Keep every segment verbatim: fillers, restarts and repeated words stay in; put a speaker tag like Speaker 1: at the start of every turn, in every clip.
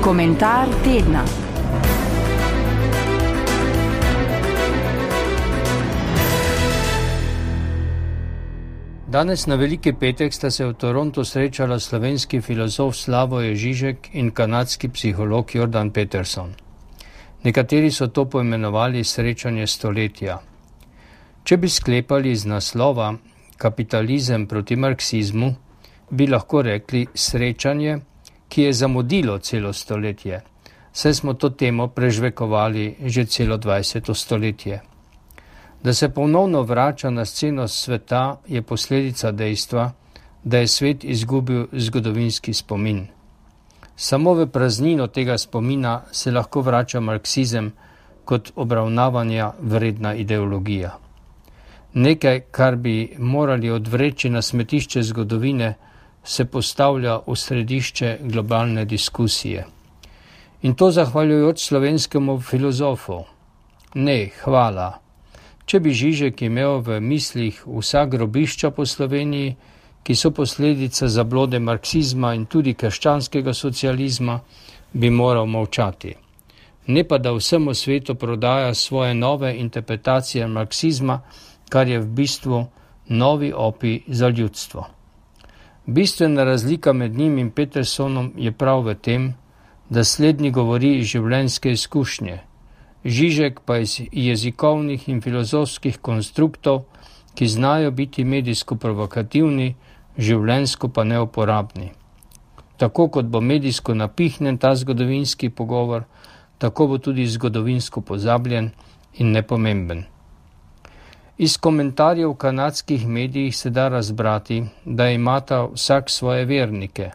Speaker 1: Komentar tedna.
Speaker 2: Danes na Veliki petek sta se v Torontu srečala slovenski filozof Slavoj Žižek in kanadski psiholog Jordan Peterson. Nekateri so to poimenovali srečanje stoletja. Če bi sklepali iz naslova Kapitalizem proti marksizmu, bi lahko rekli srečanje, ki je zamudilo celo stoletje, saj smo to temo prežvekovali že celo dvajseto stoletje. Da se ponovno vrača na sceno sveta, je posledica dejstva, da je svet izgubil zgodovinski spomin. Samo v praznino tega spomina se lahko vrača marksizem kot obravnavanja vredna ideologija. Nekaj, kar bi morali odvreči na smetišče zgodovine, se postavlja v središče globalne diskusije. In to zahvaljujoč slovenskemu filozofu. Ne, hvala. Če bi Žižek imel v mislih vsa grobišča po Sloveniji, ki so posledica zablode marksizma in tudi krščanskega socializma, bi moral molčati. Ne pa da vsemu svetu prodaja svoje nove interpretacije marksizma, kar je v bistvu novi opij za ljudstvo. Bistvena razlika med njim in Petersonom je prav v tem, da slednji govori iz življenjske izkušnje, Žižek pa iz jezikovnih in filozofskih konstruktov, ki znajo biti medijsko provokativni, življenjsko pa neuporabni. Tako kot bo medijsko napihnjen ta zgodovinski pogovor, tako bo tudi zgodovinsko pozabljen in nepomemben. Iz komentarjev v kanadskih medijih se da razbrati, da imata vsak svoje vernike,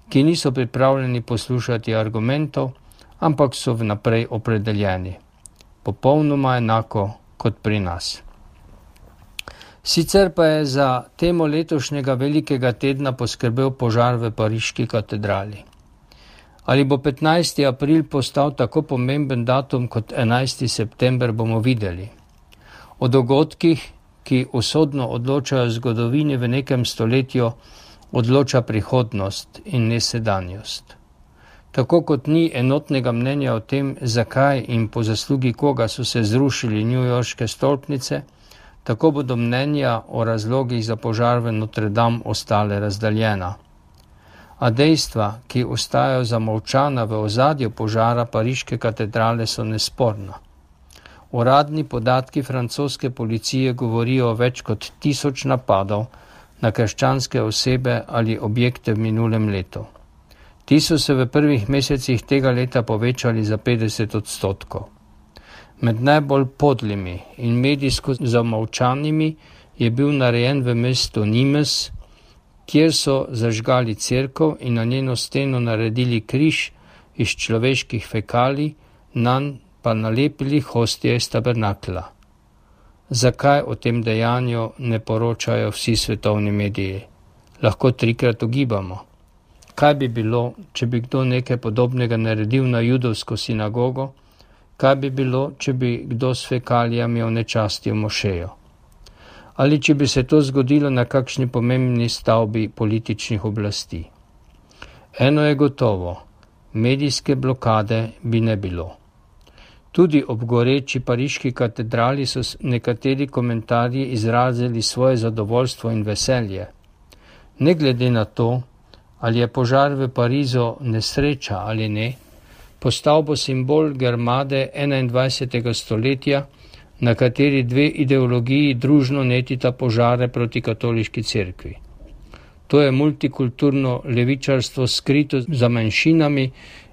Speaker 2: ki niso pripravljeni poslušati argumentov, ampak so vnaprej opredeljeni. Popolnoma enako kot pri nas. Sicer pa je za temo letošnjega velikega tedna poskrbel požar v pariški katedrali. Ali bo petnajsti april postal tako pomemben datum kot enajsti september, bomo videli. O dogodkih, ki usodno odločajo zgodovini v nekem stoletju, odloča prihodnost in ne sedanjost. Tako kot ni enotnega mnenja o tem, zakaj in po zaslugi koga so se zrušili newyorške stolpnice, tako bodo mnenja o razlogih za požar v Notre Dame ostale razdaljena. A dejstva, ki ostajajo zamolčana v ozadju požara pariške katedrale, so nesporna. Uradni podatki francoske policije govorijo o več kot tisoč napadov na krščanske osebe ali objekte v minulem letu. Ti so se v prvih mesecih tega leta povečali za petdeset odstotkov. Med najbolj podlimi in medijsko zamolčanimi je bil narejen v mestu Nimes, kjer so zažgali cerkev in na njeno steno naredili križ iz človeških fekalij, nanj pa nalepili hostije iz tabernakla. Zakaj o tem dejanju ne poročajo vsi svetovni mediji? Lahko trikrat ugibamo. Kaj bi bilo, če bi kdo nekaj podobnega naredil na judovsko sinagogo? Kaj bi bilo, če bi kdo s fekalijami onečastil mošejo? Ali če bi se to zgodilo na kakšni pomembni stavbi političnih oblasti? Eno je gotovo, medijske blokade bi ne bilo. Tudi ob goreči pariški katedrali so nekateri komentarji izrazili svoje zadovoljstvo in veselje. Ne glede na to, ali je požar v Parizu nesreča ali ne, postal bo simbol grmade enaindvajsetega stoletja, na kateri dve ideologiji družno netita požare proti katoliški cerkvi. To je multikulturno levičarstvo skrito za manjšinami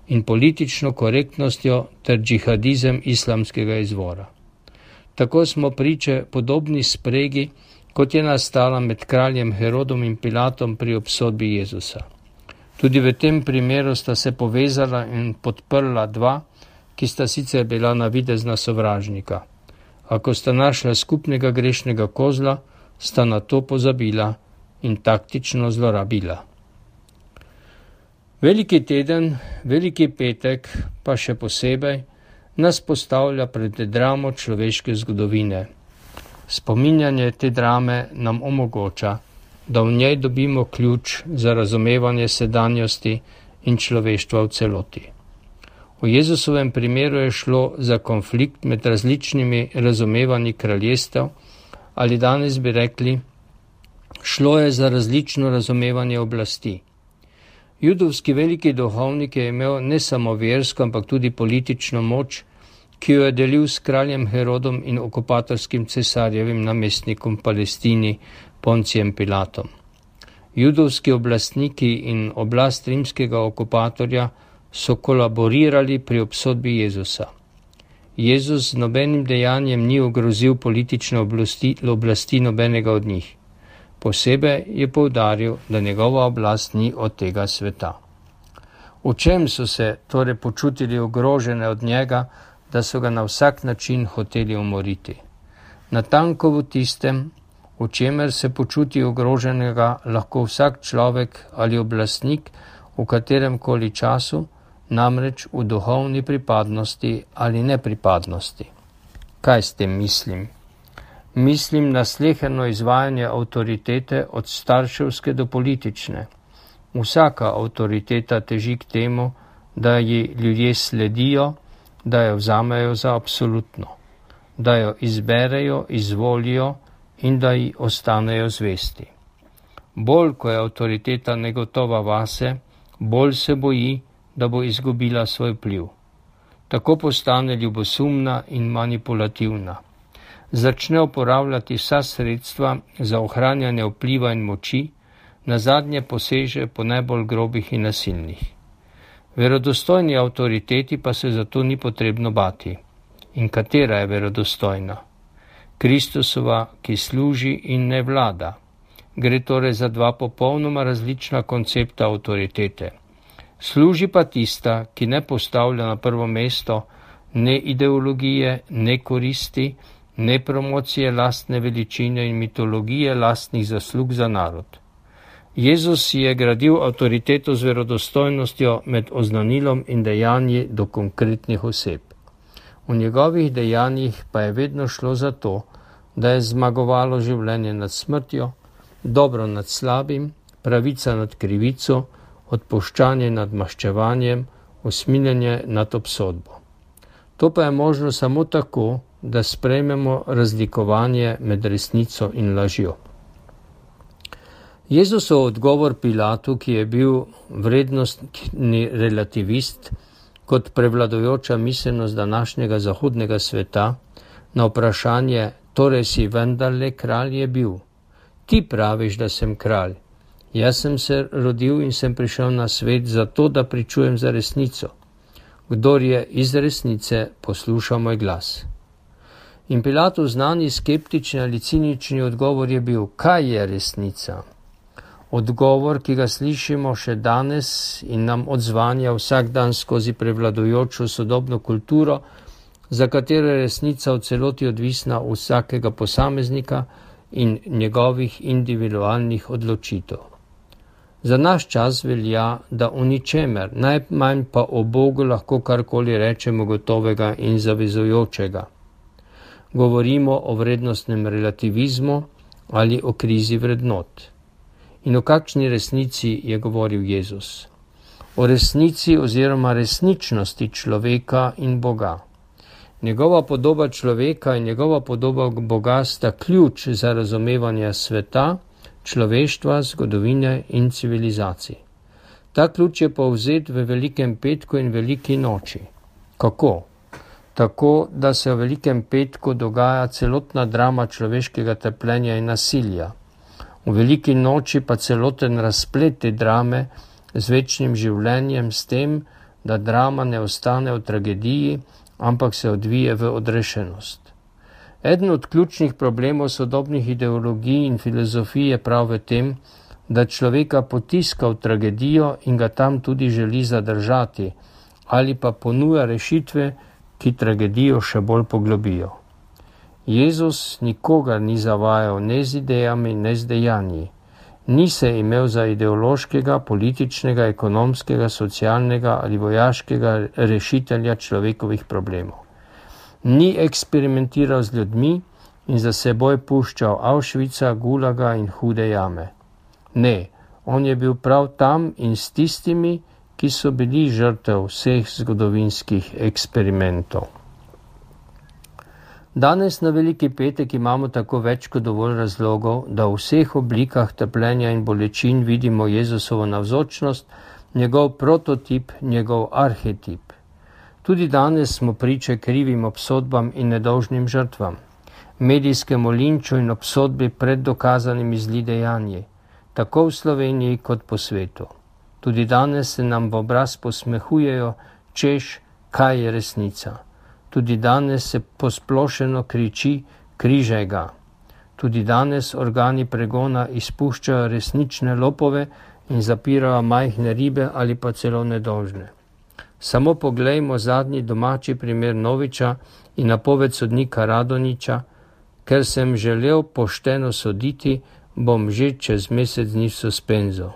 Speaker 2: in politično korektnostjo ter džihadizem islamskega izvora. Tako smo priče podobni spregi, kot je nastala med kraljem Herodom in Pilatom pri obsodbi Jezusa. Tudi v tem primeru sta se povezala in podprla dva, ki sta sicer bila navidezna sovražnika. Ako sta našla skupnega grešnega kozla, sta na to pozabila in taktično zlorabila. Veliki teden, veliki petek, pa še posebej, nas postavlja pred dramo človeške zgodovine. Spominjanje te drame nam omogoča, da v njej dobimo ključ za razumevanje sedanjosti in človeštva v celoti. V Jezusovem primeru je šlo za konflikt med različnimi razumevanji kraljestev, ali danes bi rekli, šlo je za različno razumevanje oblasti. Judovski veliki duhovnik je imel ne samo versko, ampak tudi politično moč, ki jo je delil s kraljem Herodom in okupatorskim cesarjevim namestnikom v Palestini Poncijem Pilatom. Judovski oblastniki in oblast rimskega okupatorja so kolaborirali pri obsodbi Jezusa. Jezus z nobenim dejanjem ni ogrozil politične oblasti, oblasti nobenega od njih. Posebej je poudaril, da njegova oblast ni od tega sveta. V čem so se torej počutili ogrožene od njega, da so ga na vsak način hoteli umoriti? Natanko v tistem, v čemer se počuti ogroženega lahko vsak človek ali oblastnik v katerem koli času, namreč v duhovni pripadnosti ali nepripadnosti. Kaj s tem mislim? Mislim na sleherno izvajanje avtoritete od starševske do politične. Vsaka avtoriteta teži k temu, da ji ljudje sledijo, da jo vzamejo za absolutno, da jo izberejo, izvolijo in da ji ostanejo zvesti. Bolj, ko je avtoriteta negotova vase, bolj se boji, da bo izgubila svoj vpliv. Tako postane ljubosumna in manipulativna. Začne uporabljati vsa sredstva za ohranjanje vpliva in moči, nazadnje poseže po najbolj grobih in nasilnih. Verodostojni avtoriteti pa se zato ni potrebno bati. In katera je verodostojna? Kristusova, ki služi in ne vlada. Gre torej za dva popolnoma različna koncepta avtoritete. Služi pa tista, ki ne postavlja na prvo mesto ne ideologije, ne koristi, ne promocije lastne veličine in mitologije lastnih zaslug za narod. Jezus si je gradil avtoriteto z verodostojnostjo med oznanilom in dejanji do konkretnih oseb. V njegovih dejanjih pa je vedno šlo za to, da je zmagovalo življenje nad smrtjo, dobro nad slabim, pravica nad krivico, odpuščanje nad maščevanjem, usmiljenje nad obsodbo. To pa je možno samo tako, da sprejmemo razlikovanje med resnico in lažjo. Jezusov odgovor Pilatu, ki je bil vrednostni relativist, kot prevladujoča miselnost današnjega zahodnega sveta, na vprašanje, torej si vendarle kralj, je bil: ti praviš, da sem kralj. Jaz sem se rodil in sem prišel na svet zato, da pričujem za resnico. Kdor je iz resnice, posluša moj glas. In Pilatov znani skeptični ali cinični odgovor je bil: kaj je resnica? Odgovor, ki ga slišimo še danes in nam odzvanja vsak dan skozi prevladujočo sodobno kulturo, za katero je resnica v celoti odvisna od vsakega posameznika in njegovih individualnih odločitev. Za naš čas velja, da o ničemer, najmanj pa o Bogu lahko karkoli rečemo gotovega in zavezujočega. Govorimo o vrednostnem relativizmu ali o krizi vrednot. In o kakšni resnici je govoril Jezus? O resnici oziroma resničnosti človeka in Boga. Njegova podoba človeka in njegova podoba Boga sta ključ za razumevanje sveta, človeštva, zgodovine in civilizacij. Ta ključ je povzet v Velikem petku in Veliki noči. Kako? Tako, da se v Velikem petku dogaja celotna drama človeškega trpljenja in nasilja. V Veliki noči pa celoten razplet te drame z večnim življenjem, s tem, da drama ne ostane v tragediji, ampak se odvije v odrešenost. Eden od ključnih problemov sodobnih ideologij in filozofij je prav v tem, da človeka potiska v tragedijo in ga tam tudi želi zadržati, ali pa ponuja rešitve, ki tragedijo še bolj poglobijo. Jezus nikogar ni zavajal ne z idejami, ne z dejanji. Ni se imel za ideološkega, političnega, ekonomskega, socialnega ali vojaškega rešitelja človekovih problemov. Ni eksperimentiral z ljudmi in za seboj puščal Auschwitza, Gulaga in hude jame. Ne, on je bil prav tam in s tistimi, ki so bili žrtev vseh zgodovinskih eksperimentov. Danes na Veliki petek imamo tako več kot dovolj razlogov, da v vseh oblikah trpljenja in bolečin vidimo Jezusovo navzočnost, njegov prototip, njegov arhetip. Tudi danes smo priče krivim obsodbam in nedolžnim žrtvam, medijskemu linču in obsodbi pred dokazanimi zli dejanji, tako v Sloveniji kot po svetu. Tudi danes se nam v obraz posmehujejo, češ, kaj je resnica. Tudi danes se posplošeno kriči, križaj ga. Tudi danes organi pregona izpuščajo resnične lopove in zapirajo majhne ribe ali pa celo nedolžne. Samo poglejmo zadnji domači primer Noviča in napoved sodnika Radoniča, ker sem želel pošteno soditi, bom že čez mesec dni v suspenzu.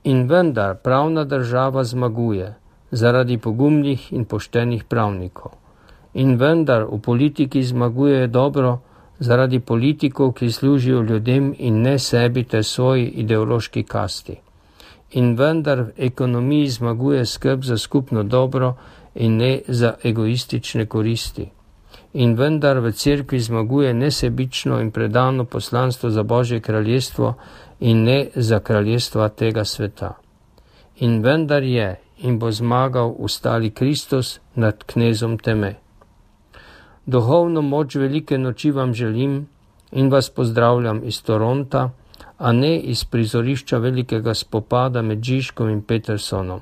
Speaker 2: In vendar pravna država zmaguje zaradi pogumnih in poštenih pravnikov. In vendar v politiki zmaguje dobro zaradi politikov, ki služijo ljudem in ne sebi ter svoji ideološki kasti. In vendar v ekonomiji zmaguje skrb za skupno dobro in ne za egoistične koristi. In vendar v cerkvi zmaguje nesebično in predano poslanstvo za Božje kraljestvo in ne za kraljestva tega sveta. In vendar je in bo zmagal ustali Kristus nad knezom teme. Duhovno moč velike noči vam želim in vas pozdravljam iz Toronta, a ne iz prizorišča velikega spopada med Žižkom in Petersonom.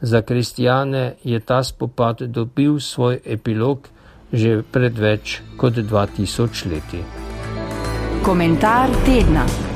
Speaker 2: Za kristjane je ta spopad dobil svoj epilog že pred več kot dva tisoč leti.
Speaker 1: Komentar tedna.